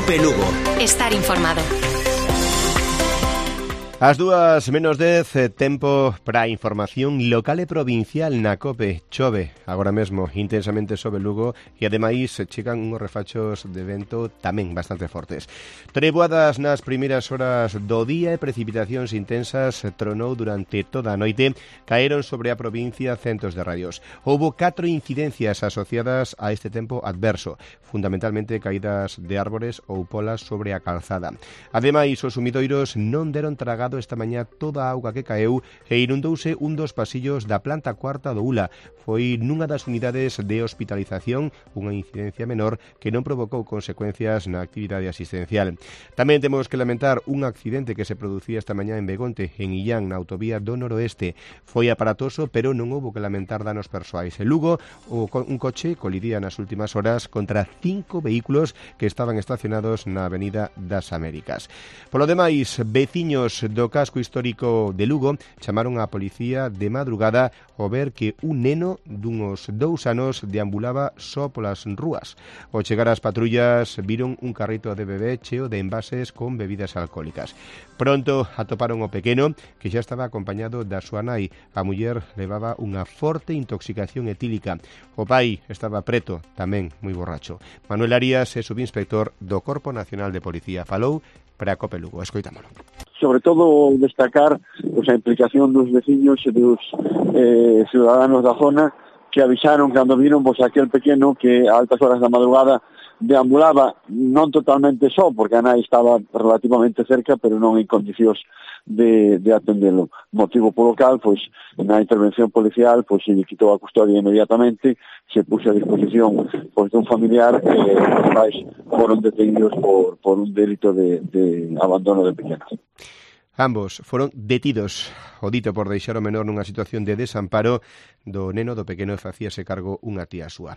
COPE Lugo. Estar informado. As 2:10, tempo para a información local e provincial na COPE. Chove agora mesmo intensamente sobre Lugo e ademais chegan unhos refachos de vento tamén bastante fortes. Treboadas nas primeiras horas do día e precipitacións intensas tronou durante toda a noite, caeron sobre a provincia centos de radios. Houbo 4 incidencias asociadas a este tempo adverso, fundamentalmente caídas de árbores ou polas sobre a calzada. Ademais, os sumidoiros non deron tragado esta mañá toda a auga que caeu e inundouse un dos pasillos da planta cuarta do ULA. Foi nunha das unidades de hospitalización, unha incidencia menor que non provocou consecuencias na actividade asistencial. Tamén temos que lamentar un accidente que se producía esta mañá en Begonte, en Illán, na autovía do noroeste. Foi aparatoso, pero non houbo que lamentar danos persoais. En Lugo, un coche colidía nas últimas horas contra 5 vehículos que estaban estacionados na Avenida das Américas. Polo demais, veciños do casco histórico de Lugo chamaron á policía de madrugada ao ver que un neno dunhos 2 anos deambulaba só polas rúas. Ao chegar as patrullas viron un carrito de bebé cheo de envases con bebidas alcohólicas. Pronto atoparon o pequeno, que xa estaba acompañado da súa nai. A muller levaba unha forte intoxicación etílica. O pai estaba preto, tamén moi borracho. Manuel Arias é subinspector do Corpo Nacional de Policía. Falou para a COPE Lugo. Escoitámolo. Sobre todo destacar a implicación dos veciños e dos ciudadanos da zona que avisaron cando viron aquel pequeno que a altas horas da madrugada deambulaba non totalmente só, porque a nai estaba relativamente cerca, pero non en condicións de atendelo. Motivo polo cal, na intervención policial, se lle quitou a custodia inmediatamente, se puxo a disposición dun familiar e os pais foron detenidos por un delito de abandono de pequenos. Ambos foron detidos, o dito por deixar o menor nunha situación de desamparo do neno do pequeno e facíase cargo unha tía súa.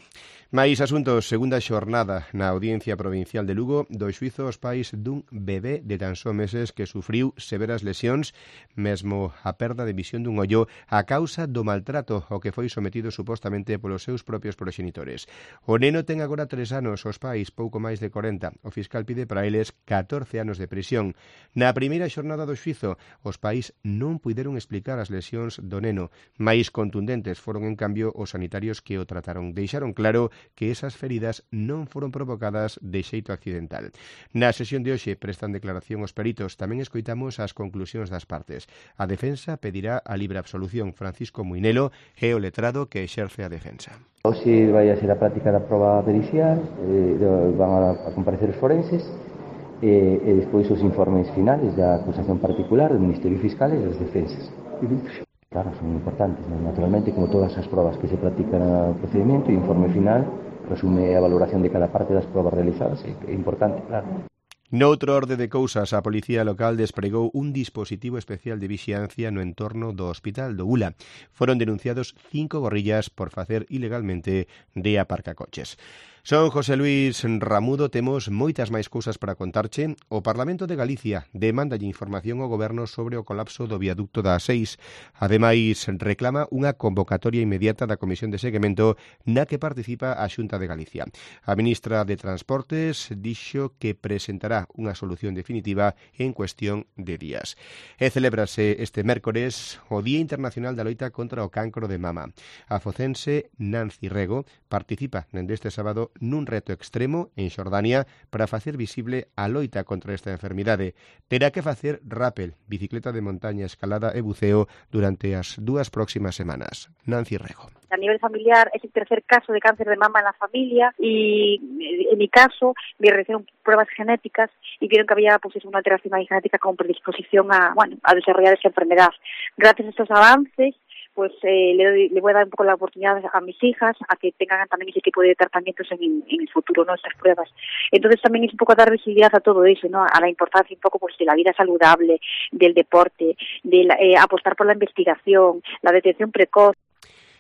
Mais asuntos, segunda xornada na Audiencia Provincial de Lugo do xuízo aos pais dun bebé de tan só meses que sufriu severas lesións, mesmo a perda de visión dun ollo a causa do maltrato ao que foi sometido supostamente polos seus propios proxenitores. O neno ten agora 3 anos, os pais pouco máis de 40. O fiscal pide para eles 14 anos de prisión. Na primeira xornada do xuízo, os pais non puideron explicar as lesións do neno. Máis contundentes foron, en cambio, os sanitarios que o trataron. Deixaron claro que esas feridas non foron provocadas de xeito accidental. Na sesión de hoxe prestan declaración os peritos. Tamén escoitamos as conclusións das partes. A defensa pedirá a libre absolución. Francisco Muinelo é o letrado que exerce a defensa. Hoxe vai a ser a práctica da proba pericial, van a comparecer os forenses, e despois os informes finales da acusación particular do Ministerio Fiscal e das defensas. Claro, son importantes, ¿no? Naturalmente, como todas as probas que se practican no procedimento, o informe final resume a valoración de cada parte das probas realizadas, é importante, claro. Noutro orde de cousas, a Policía Local despregou un dispositivo especial de vixiancia no entorno do Hospital do ULA. Foron denunciados 5 gorrillas por facer ilegalmente de aparcacoches. Son José Luis Ramudo, temos moitas máis cousas para contarche. O Parlamento de Galicia demandalle información ao Goberno sobre o colapso do viaducto da A6. Ademais, reclama unha convocatoria inmediata da Comisión de Seguimento na que participa a Xunta de Galicia. A ministra de Transportes dixo que presentará unha solución definitiva en cuestión de días. E celébrase este mércores o Día Internacional da Loita contra o Cancro de Mama. A focense Nancy Rego participa deste sábado nun reto extremo en Xordania para facer visible a loita contra esta enfermidade. Terá que facer rappel, bicicleta de montaña, escalada e buceo durante as 2 próximas semanas. Nancy Rego. A nivel familiar es el tercer caso de cáncer de mama en la familia y en mi caso me realizaron pruebas genéticas y vieron que había una alteración genética con predisposición a desarrollar esa enfermedad. Gracias a estos avances le voy a dar un poco la oportunidad a mis hijas a que tengan también ese tipo de tratamientos en el futuro, ¿no? Estas pruebas. Entonces también es un poco dar visibilidad a todo eso, ¿no? A la importancia un poco de la vida saludable, del deporte, de apostar por la investigación, la detección precoz.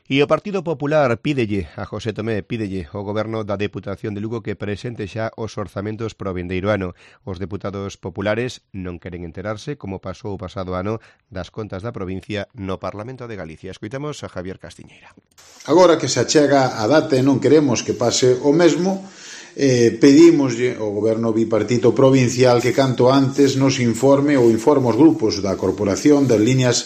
E o Partido Popular pídelle a José Tomé, pídelle ao Goberno da Deputación de Lugo que presente xa os orzamentos para o vindeiro ano. Os deputados populares non queren enterarse, como pasou o pasado ano, das contas da provincia no Parlamento de Galicia. Escoitamos a Javier Castiñeira. Agora que se achega a data e non queremos que pase o mesmo, pedimoslle ao Goberno bipartito provincial que canto antes nos informe ou informe os grupos da corporación das líneas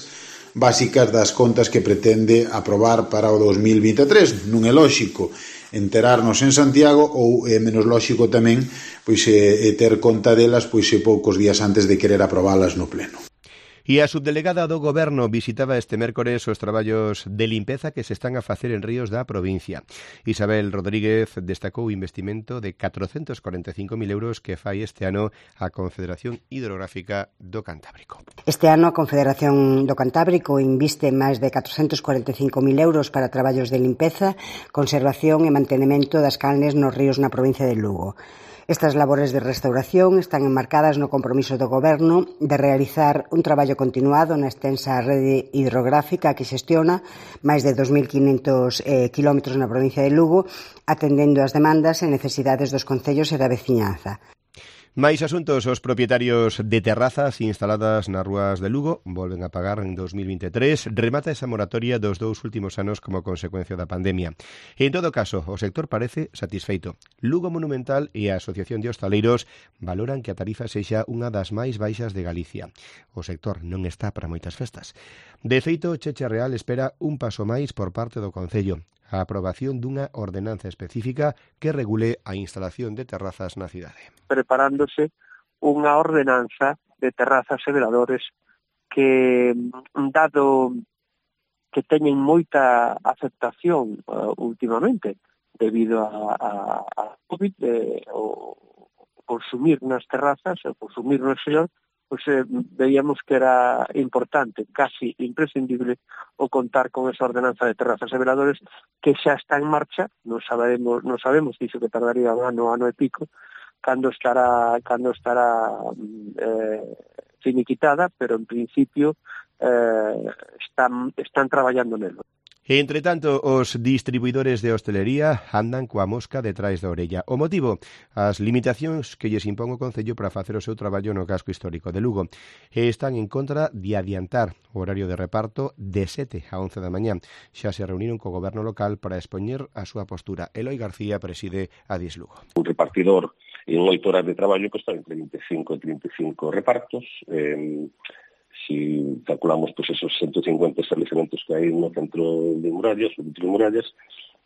básicas das contas que pretende aprobar para o 2023. Non é lóxico enterarnos en Santiago ou é menos lóxico tamén pois ter conta delas pois poucos días antes de querer aprobalas no pleno. E a subdelegada do Goberno visitaba este mércores os traballos de limpeza que se están a facer en ríos da provincia. Isabel Rodríguez destacou o investimento de 445.000 euros que fai este ano a Confederación Hidrográfica do Cantábrico. Este ano a Confederación do Cantábrico inviste máis de 445.000 euros para traballos de limpeza, conservación e mantenemento das canles nos ríos na provincia de Lugo. Estas labores de restauración están enmarcadas no compromiso do Goberno de realizar un traballo continuado na extensa rede hidrográfica que xestiona máis de 2.500 kilómetros na provincia de Lugo, atendendo as demandas e necesidades dos concellos e da veciñanza. Máis asuntos, os propietarios de terrazas instaladas nas rúas de Lugo volven a pagar en 2023. Remata esa moratoria dos 2 últimos anos como consecuencia da pandemia. En todo caso, o sector parece satisfeito. Lugo Monumental e a Asociación de Hostaleiros valoran que a tarifa sexa unha das máis baixas de Galicia. O sector non está para moitas festas. De feito, Cheche Real espera un paso máis por parte do Concello, a aprobación dunha ordenanza específica que regule a instalación de terrazas na cidade. Preparándose unha ordenanza de terrazas e veladores que, dado que teñen moita aceptación últimamente debido a COVID, o consumir nas terrazas, o consumir no exterior, pues veíamos que era importante, casi imprescindible, o contar con esa ordenanza de terrazas e veladores que xa está en marcha. Non sabemos, dixo que tardaría un ano e pico, cando estará finiquitada, pero en principio están traballando nelo. Entre tanto, os distribuidores de hostelería andan coa mosca detrás da orella. O motivo, as limitacións que lles impón o Concello para facer o seu traballo no casco histórico de Lugo. E están en contra de adiantar o horario de reparto de 7 a 11 da mañá. Xa se reuniron co goberno local para expoñer a súa postura. Eloi García preside a Dis Lugo. Un repartidor en 8 horas de traballo que está entre 25 e 35 repartos. Si calculamos pues esos 150 estabelecementos que hai no centro de Murallas,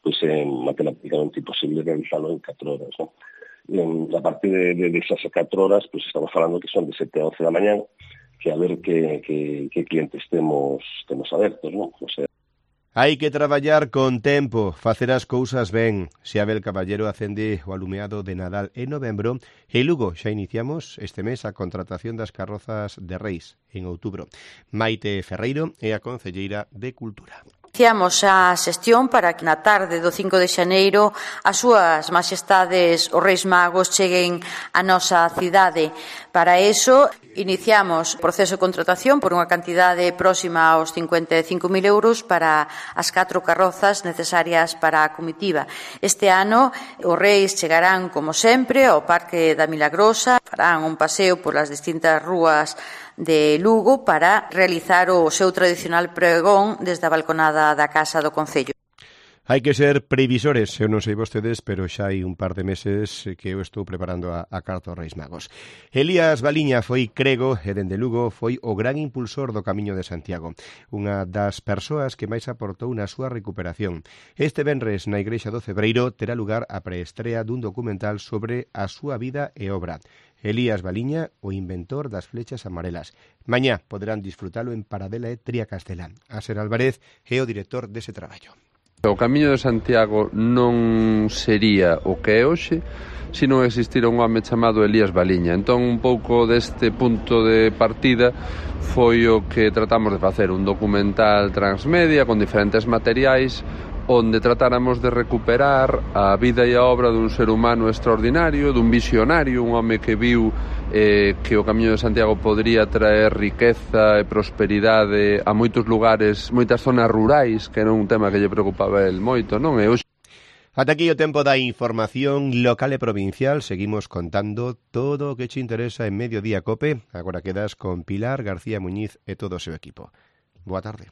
pues é matemáticamente imposible realizarlo en 4 horas, ¿no? A partir de esas 4 horas, pues estamos falando que son de 7 a 11 da mañá, que a ver que clientes temos abertos, ¿no? O sea, hai que traballar con tempo, facer as cousas ben. Se Abel Caballero acende o alumeado de Nadal en novembro e Lugo xa iniciamos este mes a contratación das carrozas de Reis en outubro. Maite Ferreiro é a concelleira de Cultura. Iniciamos a xestión para que na tarde do 5 de xaneiro as súas majestades os Reis Magos cheguen á nosa cidade. Para iso, iniciamos o proceso de contratación por unha cantidade próxima aos 55.000 euros para as 4 carrozas necesarias para a comitiva. Este ano, os Reis chegarán, como sempre, ao Parque da Milagrosa, farán un paseo polas distintas rúas de Lugo para realizar o seu tradicional pregón desde a balconada da Casa do Concello. Hai que ser previsores, eu non sei vostedes, pero xa hai un par de meses que eu estou preparando a carta aos Reis Magos. Elías Baliña foi crego e dende Lugo foi o gran impulsor do Camiño de Santiago, unha das persoas que máis aportou na súa recuperación. Este venres na Igrexa do Cebreiro terá lugar a preestrea dun documental sobre a súa vida e obra. Elías Baliña, o inventor das flechas amarelas. Mañá poderán disfrutalo en Paradela e Triacastela. Aser Álvarez é o director dese traballo. O Camiño de Santiago non sería o que é hoxe se non existira un home chamado Elías Baliña. Entón, un pouco deste punto de partida foi o que tratamos de facer, un documental transmedia con diferentes materiais onde tratáramos de recuperar a vida e a obra dun ser humano extraordinario, dun visionario, un home que viu que o Camiño de Santiago podría traer riqueza e prosperidade a moitos lugares, moitas zonas rurais, que era un tema que lle preocupaba el moito, non? E hoxe... Ata aquí o tempo da información local e provincial. Seguimos contando todo o que che interesa en Mediodía Cope. Agora quedas con Pilar García Muñiz e todo o seu equipo. Boa tarde.